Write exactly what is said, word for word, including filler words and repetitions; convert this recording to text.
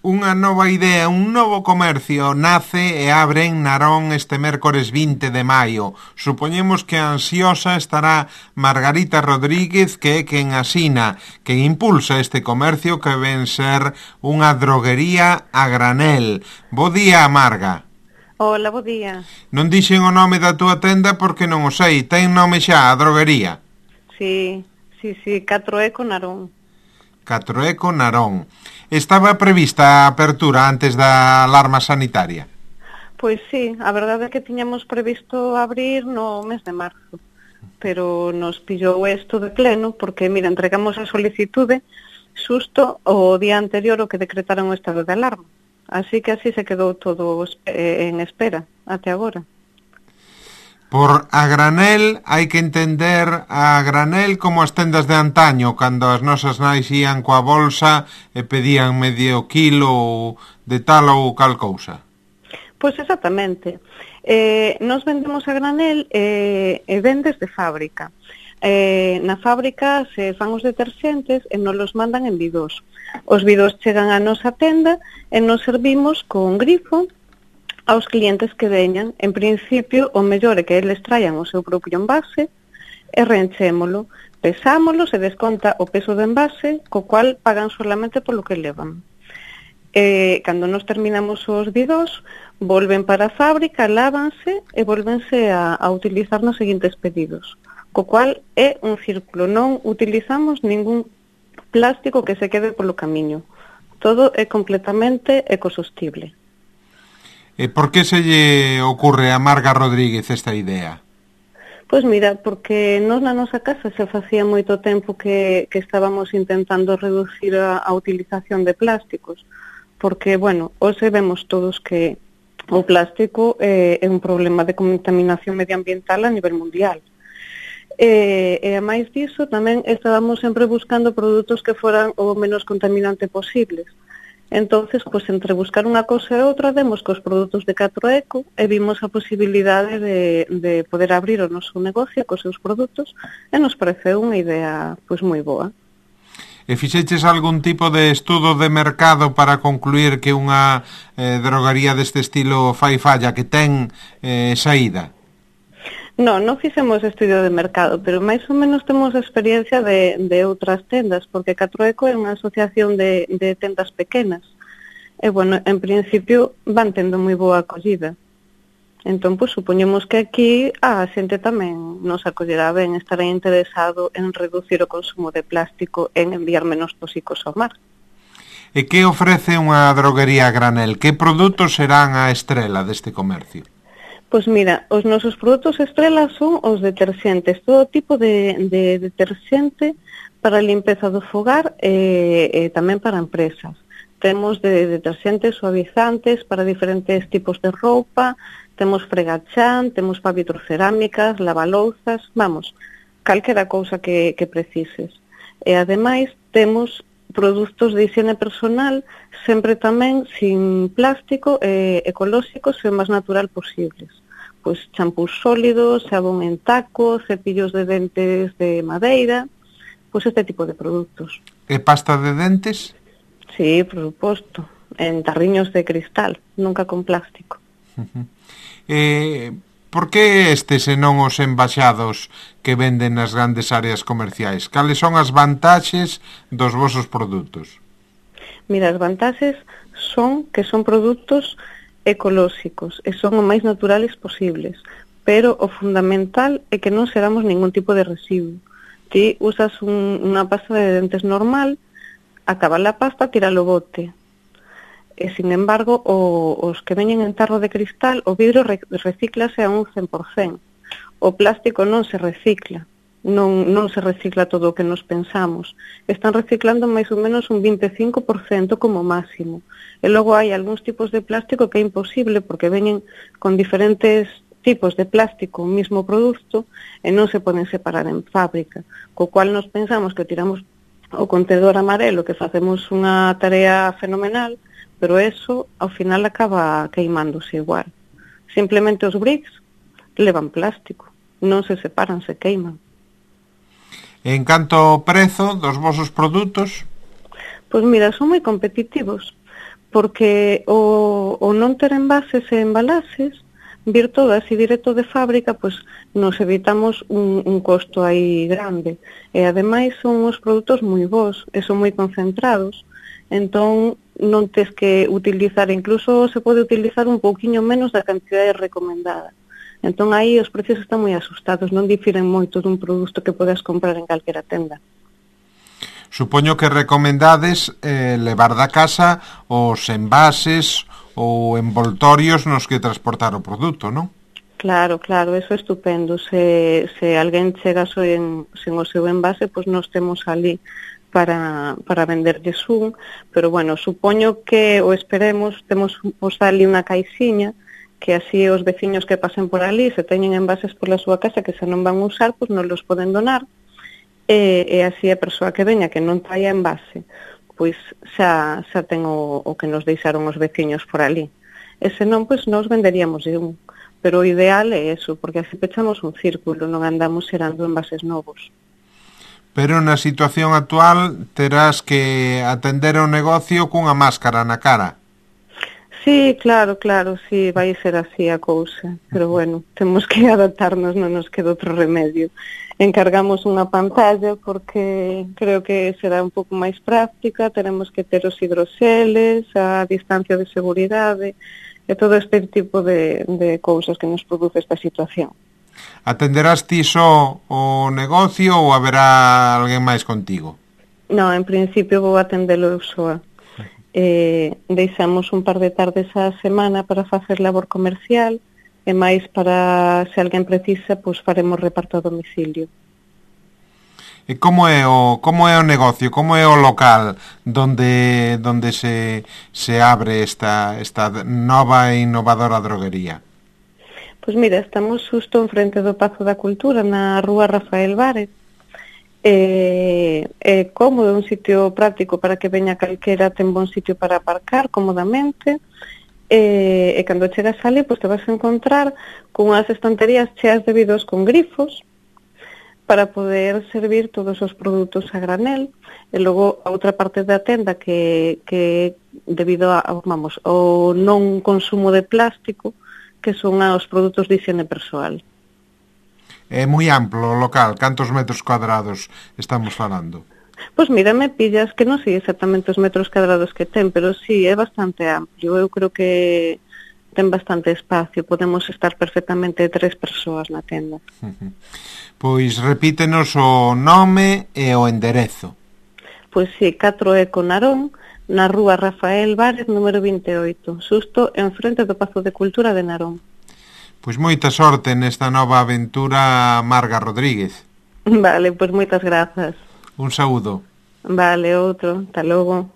Unha nova idea, un novo comercio nace e abre en Narón este mércores vinte de maio. Supoñemos que ansiosa estará Margarita Rodríguez, que é quen asina, quen impulsa este comercio que ven ser unha droguería a granel. Bo día, Marga. Hola, bo día. Non dixen o nome da túa tenda porque non o sei. Ten nome xa, a droguería? Sí, sí, sí, catro Eco Narón. catro Eco Narón. Estaba prevista a apertura antes da alarma sanitaria? Pois sí, a verdade é que tiñamos previsto abrir no mes de marzo, pero nos pillou isto de pleno porque, mira, entregamos a solicitude xusto o día anterior o que decretaron o estado de alarma. Así que así se quedou todo en espera até agora. Por a granel hai que entender a granel como as tendas de antaño, cando as nosas nais ían coa bolsa e pedían medio kilo de tal ou cal cousa. Pois exactamente. Eh, nos vendemos a granel eh, e vendes de fábrica. Eh, na fábrica se fan os deterxentes e nos los mandan en bidós. Os bidós chegan á nosa tenda e nos servimos con grifo aos clientes que veñan. En principio, o mellor é que eles traian o seu propio envase e reenchémolo, pesámolo, se desconta o peso do envase, co cual pagan solamente polo que levan. E, cando nos terminamos os bidós, volven para a fábrica, lávanse e volvense a, a utilizar nos seguintes pedidos, co cual é un círculo, non utilizamos ningún plástico que se quede polo camiño. Todo é completamente ecosostible. E por que se lle ocurre a Marga Rodríguez esta idea? Pois mira, porque nós na nosa casa se facía moito tempo que, que estábamos intentando reducir a, a utilización de plásticos, porque, bueno, hoxe vemos todos que o plástico é, é un problema de contaminación medioambiental a nivel mundial. E, e a máis diso, tamén estábamos sempre buscando produtos que foran o menos contaminante posibles. Entonces, pois, entre buscar unha cousa e outra, demos cos produtos de catro Eco e vimos a posibilidade de, de poder abrir o noso negocio cos seus produtos e nos pareceu unha idea, pois, moi boa. E fixeches algún tipo de estudo de mercado para concluir que unha eh, drogaría deste estilo fai falla, que ten eh, saída? Non, non fixemos estudio de mercado, pero máis ou menos temos experiencia de, de outras tendas, porque catro Eco é unha asociación de, de tendas pequenas. E, bueno, en principio van tendo moi boa acollida. Entón, pois, supoñemos que aquí a xente tamén nos acollerá ben, estará interesado en reducir o consumo de plástico, en enviar menos tóxicos ao mar. E que ofrece unha droguería a granel? Que produtos serán a estrela deste comercio? Pois mira, os nosos produtos estrela son os deterxentes, todo tipo de, de deterxente para a limpeza do fogar e, e tamén para empresas. Temos de deterxentes suavizantes para diferentes tipos de roupa, temos fregachán, temos para vitrocerámicas, lavalouzas, vamos, calquera cousa que, que precises. E ademais temos produtos de higiene personal, sempre tamén sin plástico, e ecolóxicos e o máis natural posibles. Pois champús sólidos, xabón en taco, cepillos de dentes de madeira, pois este tipo de produtos. E pasta de dentes? Sí, por suposto, en tarriños de cristal, nunca con plástico. Uh-huh. Eh, por que estes e non os embaixados que venden nas grandes áreas comerciais? Cales son as vantaxes dos vosos produtos? Mira, as vantaxes son que son produtos ecolóxicos e son o máis naturales posibles, pero o fundamental é que non xeramos ningún tipo de residuo. Ti usas un, unha pasta de dentes normal, acaba a pasta, tira o bote. E, sin embargo, o, os que veñen en tarro de cristal, o vidro re, recíclase a un cen por cen. O plástico non se recicla, non, non se recicla todo o que nos pensamos. Están reciclando máis ou menos un vinte e cinco por cento como máximo. E logo hai algúns tipos de plástico que é imposible porque veñen con diferentes tipos de plástico o mismo produto e non se poden separar en fábrica, co cual nos pensamos que tiramos o contedor amarelo, que facemos unha tarea fenomenal, pero eso ao final acaba queimándose igual. Simplemente os bricks levan plástico, non se separan, se queiman. En canto ao prezo dos vosos produtos? Pois mira, son moi competitivos, porque o, o non ter envases e embalases, vir todo así directo de fábrica, pois nos evitamos un, un costo aí grande. E ademais son uns produtos moi bons e son moi concentrados, entón non tes que utilizar, incluso se pode utilizar un pouquiño menos da cantidade recomendada. Entón aí os precios están moi asustados, non difiren moito dun produto que podes comprar en calquera tenda. Supoño que recomendades eh, levar da casa os envases ou envoltorios nos que transportar o produto, non? Claro, claro, eso é estupendo. Se, se alguén chega sen, sen o seu envase, pois nos temos ali para, para venderlles un, pero bueno, supoño que, o esperemos, temos os ali unha caixiña, que así os veciños que pasen por ali, se teñen envases pola súa casa que se non van usar, pois nos los poden donar, e, e así a persoa que veña que non traia envase, pois xa, xa ten o, o que nos deixaron os veciños por ali. E senón, pois nos venderíamos un. Pero o ideal é eso, porque así pechamos un círculo, non andamos xerando envases novos. Pero na situación actual terás que atender o negocio cunha máscara na cara. Sí, claro, claro, sí, vai ser así a cousa. Pero bueno, temos que adaptarnos, non nos queda outro remedio. Encargamos unha pantalla porque creo que será un pouco máis práctica, teremos que ter os hidroxeles, a distancia de seguridade e todo este tipo de, de cousas que nos produce esta situación. Atenderás ti só o negocio ou haberá alguén máis contigo? Non, en principio vou atendelo eu soa. Eh, deixamos un par de tardes á semana para facer labor comercial e máis para, se alguén precisa, pois faremos reparto a domicilio. E como é o como é o negocio, como é o local donde donde se se abre esta esta nova e innovadora droguería? Pois mira, estamos xusto en frente do Pazo da Cultura, na rúa Rafael Várez. É, é cómodo, un sitio práctico para que veña calquera, ten bon sitio para aparcar cómodamente. E, e cando chegas ali, pois te vas a encontrar con unhas estanterías cheas de vidros con grifos para poder servir todos os produtos a granel. E logo a outra parte da tenda que, que debido a, vamos, ao non consumo de plástico, que son os produtos de higiene persoal. É moi amplo o local, cantos metros cuadrados estamos falando? Pois mira, me pillas que non sei exactamente os metros cuadrados que ten, pero sí, é bastante amplio. Eu creo que ten bastante espacio, podemos estar perfectamente tres persoas na tenda. Uh-huh. Pois repítenos o nome e o enderezo. Pois sí, catro Eco Narón, na rúa Rafael Várez, número vinte e oito, xusto en frente do Pazo de Cultura de Narón. Pois moita sorte nesta nova aventura, Marga Rodríguez. Vale, pois moitas grazas. Un saúdo. Vale, outro. Hasta logo.